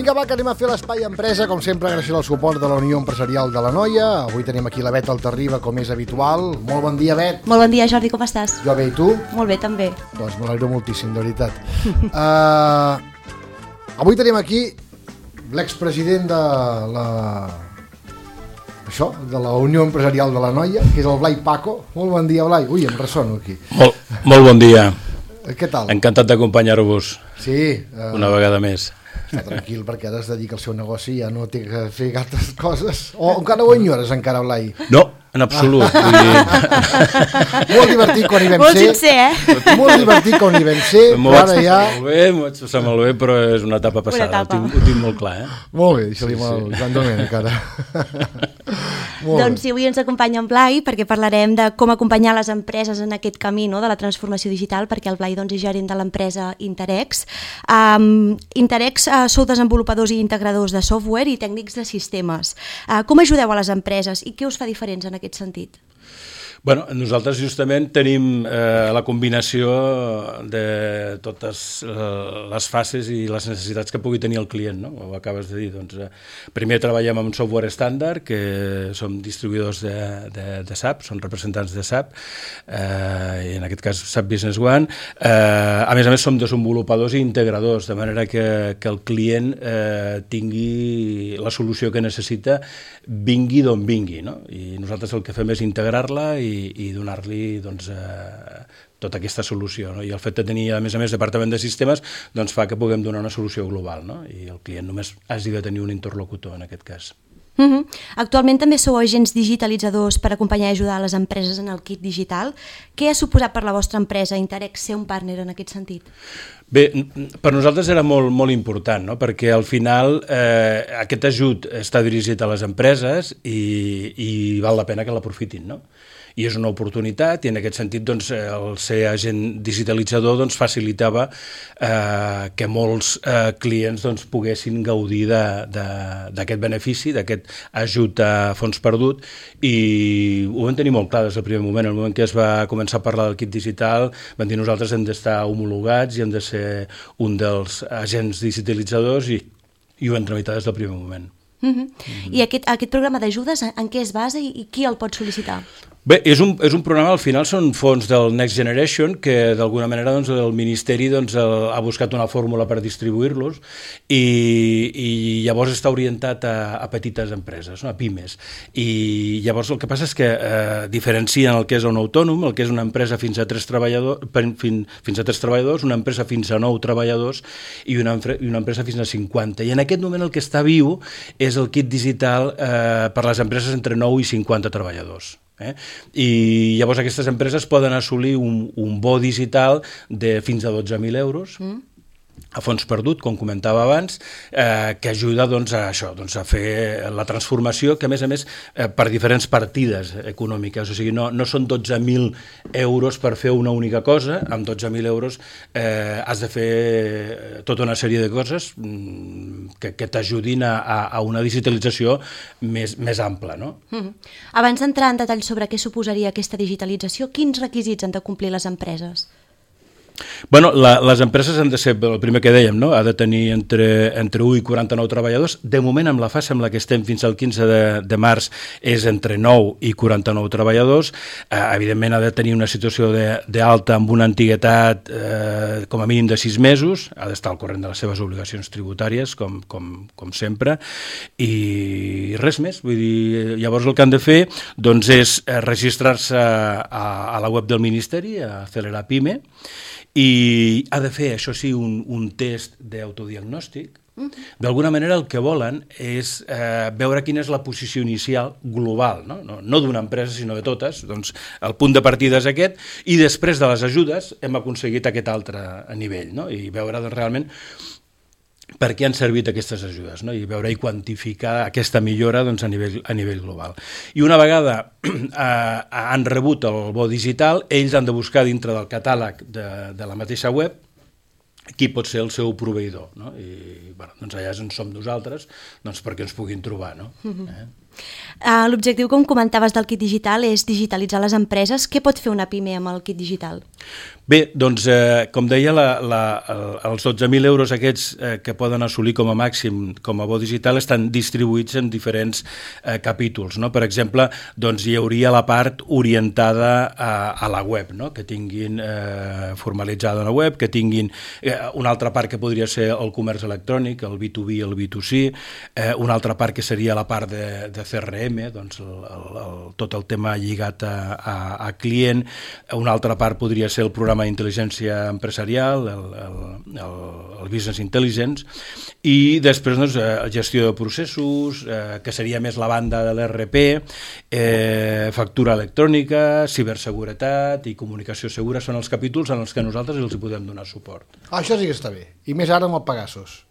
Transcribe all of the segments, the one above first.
Vinga, va, que anem a fer l'Espai Empresa, com sempre, gràcies al suport de la Unió Empresarial de l'Anoia. Avui tenim aquí la Bet Altarriba, com és habitual. Molt bon dia, Bet. Molt bon dia, Jordi, com estàs? Jo bé, i tu? Molt bé, també. Doncs m'alegro moltíssim, de veritat. Avui tenim aquí l'expresident de la Unió Empresarial de l'Anoia, que és el Blai Paco. Molt bon dia, Blai. Ui, em ressono aquí. Molt bon dia. Què tal? Encantat d'acompanyar-vos una vegada més. Està tranquil, perquè ara es dedica al seu negoci i ja no té que fer altres coses. O encara ho enyores, encara, Blai? No, en absolut. Molt divertit quan hi vam ser. Molt sincer, eh? Molt divertit quan hi vam ser, però ara ja... M'ho vaig passar molt bé, però és una etapa passada. Ho tinc molt clar, eh? Molt bé, deixa-li el Joan Domènec, ara. Doncs sí, avui ens acompanya en Blai perquè parlarem de com acompanyar les empreses en aquest camí, no?, de la transformació digital, perquè el Blai és gerent de l'empresa Interex. Interex sou desenvolupadors i integradors de software i tècnics de sistemes. Com ajudeu a les empreses i què us fa diferents en aquest sentit? Bueno, nosaltres justament tenim la combinació de totes les fases i les necessitats que pugui tenir el client, no? Ho acabes de dir. Doncs, primer treballem amb software estàndard, que som distribuïdors de SAP, són representants de SAP, i en aquest cas SAP Business One. A més, som desenvolupadors i integradors, de manera que el client tingui la solució que necessita, vingui d'on vingui, no? I nosaltres el que fem és integrar-la i donar-li tota aquesta solució, no? I el fet de tenir, a més, departament de sistemes doncs fa que puguem donar una solució global, no? I el client només hagi de tenir un interlocutor en aquest cas. Actualment també sou agents digitalitzadors per acompanyar i ajudar les empreses en el kit digital. Què ha suposat per la vostra empresa Interex ser un partner en aquest sentit? Bé, per nosaltres era molt important, no? Perquè al final aquest ajut està dirigit a les empreses i val la pena que l'aprofitin, no? I és una oportunitat i en aquest sentit doncs, el ser agent digitalitzador doncs, facilitava que molts clients doncs, poguessin gaudir d'aquest benefici, d'aquest ajut a fons perdut, i ho vam tenir molt clar des del primer moment. En el moment que es va començar a parlar del kit digital vam dir nosaltres hem d'estar homologats i hem de ser un dels agents digitalitzadors i ho vam tramitar des del primer moment. I aquest programa d'ajudes en què es basa i qui el pot sol·licitar? Bé, és un programa, al final són fons del Next Generation que d'alguna manera doncs, el Ministeri doncs, ha buscat una fórmula per distribuir-los i llavors està orientat a petites empreses, no? A pimes. I llavors el que passa és que diferencien el que és un autònom, el que és una empresa fins a 3 treballadors, una empresa fins a 9 treballadors i una empresa fins a 50. I en aquest moment el que està viu és el kit digital per les empreses entre 9 i 50 treballadors. I llavors aquestes empreses poden assolir un bo digital de fins a 12.000 euros a fons perdut, com comentava abans, que ajuda doncs, a això, doncs, a fer la transformació, que a més per diferents partides econòmiques, o sigui, no són 12.000 euros per fer una única cosa, amb 12.000 euros has de fer tota una sèrie de coses que t'ajudin a una digitalització més ampla, no? Abans d'entrar en detall sobre què suposaria aquesta digitalització, quins requisits han de complir les empreses? Bueno, les empreses han de ser, el primer que dèiem, no? Ha de tenir entre 1 i 49 treballadors. De moment, amb la fase amb la que estem fins al 15 de març, és entre 9 i 49 treballadors. Evidentment, ha de tenir una situació d'alta amb una antiguitat com a mínim de 6 mesos, ha d'estar al corrent de les seves obligacions tributàries, com sempre, i res més. Vull dir, llavors el que han de fer doncs, és registrar-se a la web del Ministeri, a Acelerar Pime, i ha de fer, això sí, un test d'autodiagnòstic. D'alguna manera el que volen és veure quina és la posició inicial global, no d'una empresa sinó de totes. Doncs el punt de partida és aquest i després de les ajudes hem aconseguit aquest altre nivell, no? I veure doncs, realment per què han servit aquestes ajudes, no? I veure i quantificar aquesta millora doncs, a nivell global. I una vegada han rebut el bo digital, ells han de buscar dintre del catàleg de la mateixa web qui pot ser el seu proveïdor, no? I bueno, doncs allà és on som nosaltres doncs perquè ens puguin trobar, no? L'objectiu, com comentaves, del kit digital és digitalitzar les empreses. Què pot fer una PIME amb el kit digital? Bé, doncs, com deia, els 12.000 euros aquests que poden assolir com a màxim com a bo digital estan distribuïts en diferents capítols, no? Per exemple, doncs, hi hauria la part orientada a la web, no? Que tinguin formalitzada la web, que tinguin una altra part que podria ser el comerç electrònic, el B2B i el B2C, una altra part que seria la part de CRM, doncs tot el tema lligat a client, una altra part podria ser el programa d'intel·ligència empresarial, el Business Intelligence, i després doncs, gestió de processos, que seria més la banda de l'ERP, factura electrònica, ciberseguretat i comunicació segura són els capítols en els que nosaltres els hi podem donar suport. Això sí que està bé, i més ara amb el Pegasus.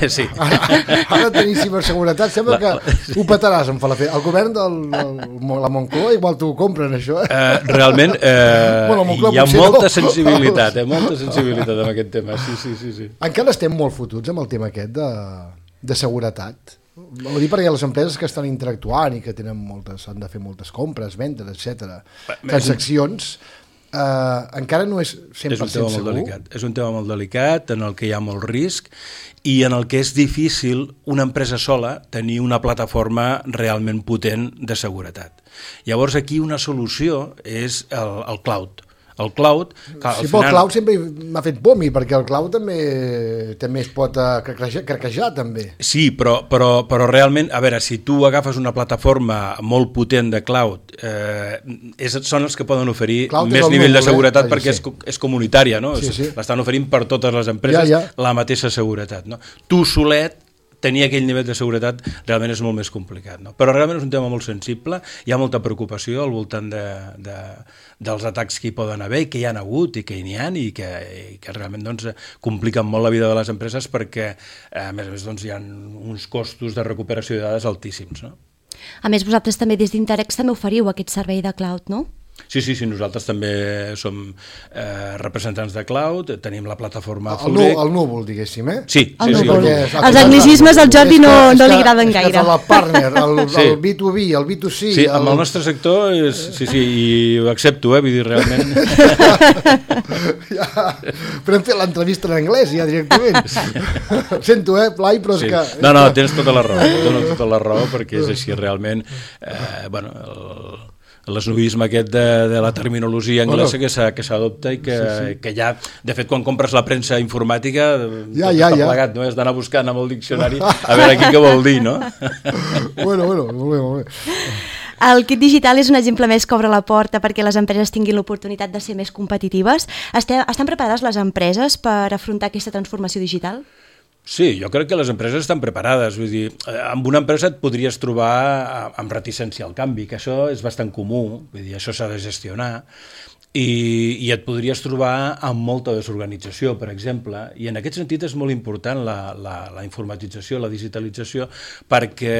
Sí. Ara tenir ciberseguretat sembla que ho petaràs en Falafel. El govern de la Moncloa igual t'ho compren, això. Realment hi ha molta sensibilitat, molta sensibilitat en aquest tema. Sí. Encara estem molt fotuts amb el tema aquest de seguretat. Ho dic perquè les empreses que estan interactuant i que tenen han de fer moltes compres, vendes, etc. Transaccions, encara no és 100% segur. És un tema molt delicat, en el que hi ha molt risc i en el que és difícil una empresa sola tenir una plataforma realment potent de seguretat. Llavors aquí una solució és el cloud. El cloud... Sí, però el cloud sempre m'ha fet por mi, perquè el cloud també es pot craquejar, també. Sí, però realment, a veure, si tu agafes una plataforma molt potent de cloud, són els que poden oferir més nivell de seguretat perquè és comunitària, no? Sí. L'estan oferint per totes les empreses la mateixa seguretat, no? Tu solet tenir aquell nivell de seguretat realment és molt més complicat, no? Però realment és un tema molt sensible, hi ha molta preocupació al voltant dels atacs que hi poden haver i que hi ha hagut i que n'hi ha i que realment doncs, compliquen molt la vida de les empreses perquè a més doncs, hi ha uns costos de recuperació de dades altíssims, no? A més, vosaltres també des d'Interex també oferiu aquest servei de cloud, no? Sí, nosaltres també som representants de cloud, tenim la plataforma Zurich. El núvol, diguéssim, eh? Sí. Els anglicismes al Jordi no li agraden gaire. És el partner, el B2B, el B2C... Sí, amb el nostre sector, sí, i ho accepto, vull dir, realment... Però hem fet l'entrevista en anglès, ja, directament. Sento, Blai, però és que... No, tens tota la raó, perquè és així, realment, l'esnovisme aquest de la terminologia anglesa que s'adopta i que ja, de fet, quan compres la premsa informàtica està plegat, no? Has d'anar buscant amb el diccionari a veure aquí què vol dir, no? Bueno, molt bé. El kit digital és un exemple més que obre la porta perquè les empreses tinguin l'oportunitat de ser més competitives. Estan preparades les empreses per afrontar aquesta transformació digital? Sí, jo crec que les empreses estan preparades. Vull dir, amb una empresa et podries trobar amb reticència al canvi, que això és bastant comú, vull dir, això s'ha de gestionar, i et podries trobar amb molta desorganització, per exemple, i en aquest sentit és molt important la informatització, la digitalització, perquè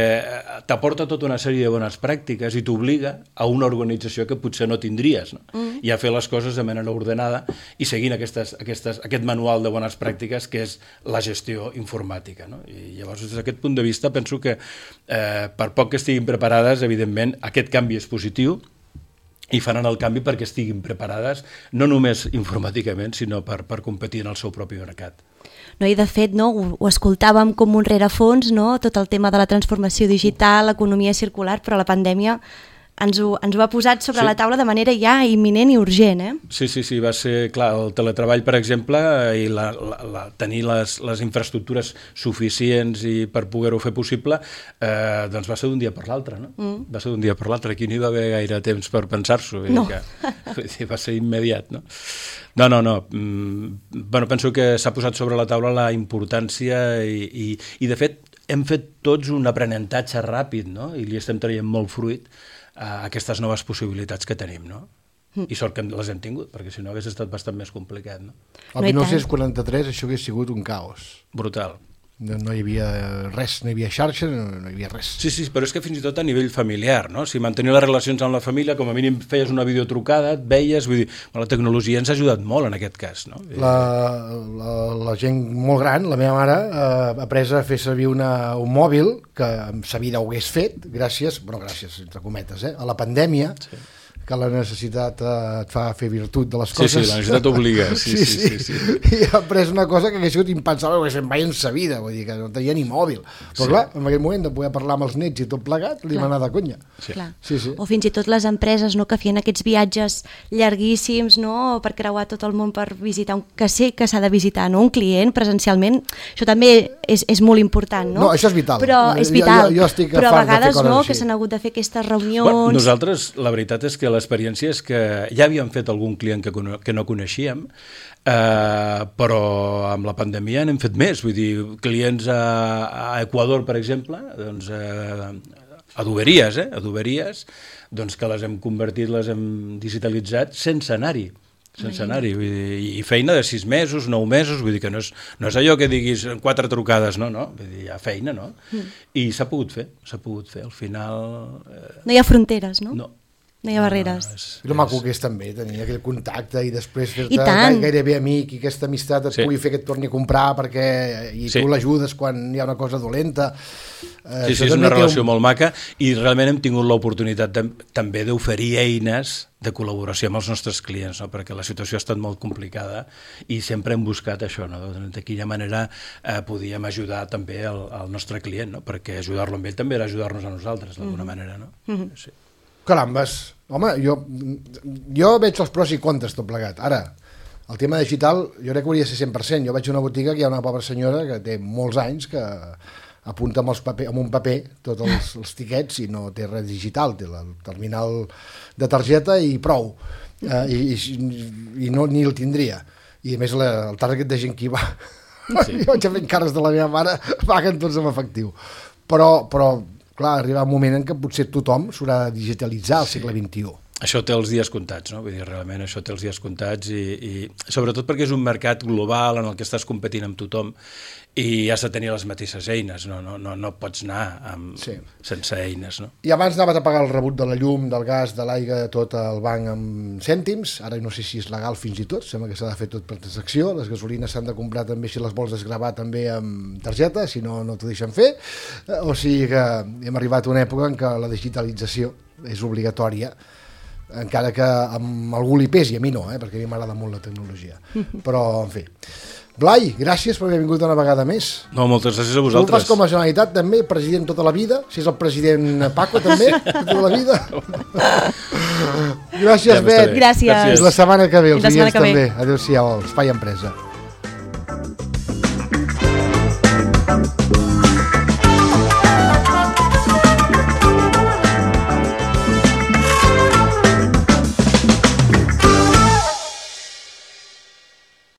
t'aporta tota una sèrie de bones pràctiques i t'obliga a una organització que potser no tindries, no? I a fer les coses de manera ordenada i seguint aquest manual de bones pràctiques que és la gestió informàtica, no? I llavors, des d'aquest punt de vista, penso que per poc que estiguin preparades, evidentment, aquest canvi és positiu, i faran el canvi perquè estiguin preparades no només informàticament, sinó per competir en el seu propi mercat. No, i de fet, no, ho escoltàvem com un rerefons, no? Tot el tema de la transformació digital, l'economia circular, però la pandèmia ens ho ha posat sobre la taula de manera ja imminent i urgent, eh? Sí, va ser, clar, el teletreball, per exemple, i tenir les infraestructures suficients i per poder-ho fer possible, doncs va ser d'un dia per l'altre, no? Va ser d'un dia per l'altre, aquí no hi va haver gaire temps per pensar-s'ho, no. Va ser immediat, no? No. Bueno, penso que s'ha posat sobre la taula la importància i de fet, hem fet tots un aprenentatge ràpid, no? I li estem traient molt fruit a aquestes noves possibilitats que tenim, no? I sort que les hem tingut, perquè si no hagués estat bastant més complicat, no? El 1943 això hagués sigut un caos. Brutal. No hi havia res, no hi havia xarxa, no hi havia res. Sí, però és que fins i tot a nivell familiar, no? Si mantenir les relacions amb la família, com a mínim feies una videotrucada, et veies, vull dir, la tecnologia ens ha ajudat molt en aquest cas, no? La gent molt gran, la meva mare, ha après a fer servir un mòbil que amb sa vida ho hagués fet, gràcies, entre cometes, a la pandèmia, sí, que la necessitat et fa fer virtut de les coses. Sí, la necessitat obliga. Sí. I ha après una cosa que hagués sigut impensable, que se'n veia en sa vida, vull dir que no tenia ni mòbil. Però clar, en aquell moment de poder parlar amb els nets i tot plegat, li va anar de conya. Sí. O fins i tot les empreses, no?, que feien aquests viatges llarguíssims, no?, per creuar tot el món per visitar, que sé que s'ha de visitar, no?, un client presencialment, això també és molt important, no? No, això és vital. Però és vital. Jo estic però a vegades de fer no, coses que s'han hagut de fer aquestes reunions... Bueno, nosaltres, la veritat és que l'experiència és que ja havíem fet algun client que no coneixíem, però amb la pandèmia n'hem fet més, vull dir, clients a Equador, per exemple, doncs, a Duberies, doncs que les hem convertit, les hem digitalitzat sense anar-hi. Vull dir, i feina de 6 mesos, 9 mesos, vull dir que no és allò que diguis 4 trucades, no, vull dir, hi ha feina, no? I s'ha pogut fer, al final... No hi ha fronteres, no? No hi ha barreres. I el maco que és també tenir aquell contacte i després fer-te gairebé amic i aquesta amistat et pugui fer que et torni a comprar tu l'ajudes quan hi ha una cosa dolenta. Sí, és una relació molt maca i realment hem tingut l'oportunitat també d'oferir eines de col·laboració amb els nostres clients, no? Perquè la situació ha estat molt complicada i sempre hem buscat això, no? De quina manera podíem ajudar també al nostre client, no? Perquè ajudar-lo amb ell també era ajudar-nos a nosaltres d'alguna manera, no? Sí. Carambes, home, jo veig els pros i contres tot plegat. Ara, el tema digital jo crec que hauria de ser 100%. Jo vaig a una botiga que hi ha una pobra senyora que té molts anys que apunta amb un paper tots els tiquets i no té res digital, té el terminal de targeta i prou, i no ni el tindria. I a més el target de gent que hi va, jo vaig fent cares de la meva mare, paguen tots amb efectiu. Però clar, arriba un moment en què potser tothom s'haurà de digitalitzar al segle XXI. Això té els dies comptats, no? Vull dir, realment això té els dies comptats i sobretot perquè és un mercat global en el que estàs competint amb tothom i has de tenir les mateixes eines, no pots anar sense eines, no? I abans anaves a pagar el rebut de la llum, del gas, de l'aigua, tot al banc amb cèntims, ara no sé si és legal fins i tot, sembla que s'ha de fer tot per transacció, les gasolines s'han de comprar també, si les vols desgravar també amb targeta, si no, no t'ho deixen fer, o sigui que hem arribat a una època en què la digitalització és obligatòria, encara que amb algú li pesi, a mi no, perquè a mi m'agrada molt la tecnologia, però en fi. Blai, gràcies per haver vingut una vegada més. No, moltes gràcies a vosaltres. Tu ho fas com a Generalitat també, president tota la vida, si és el president Paco també, tota la vida. Gràcies, Bet. Gràcies. La setmana que ve, els clients també. Adéu-siau, Espai Empresa.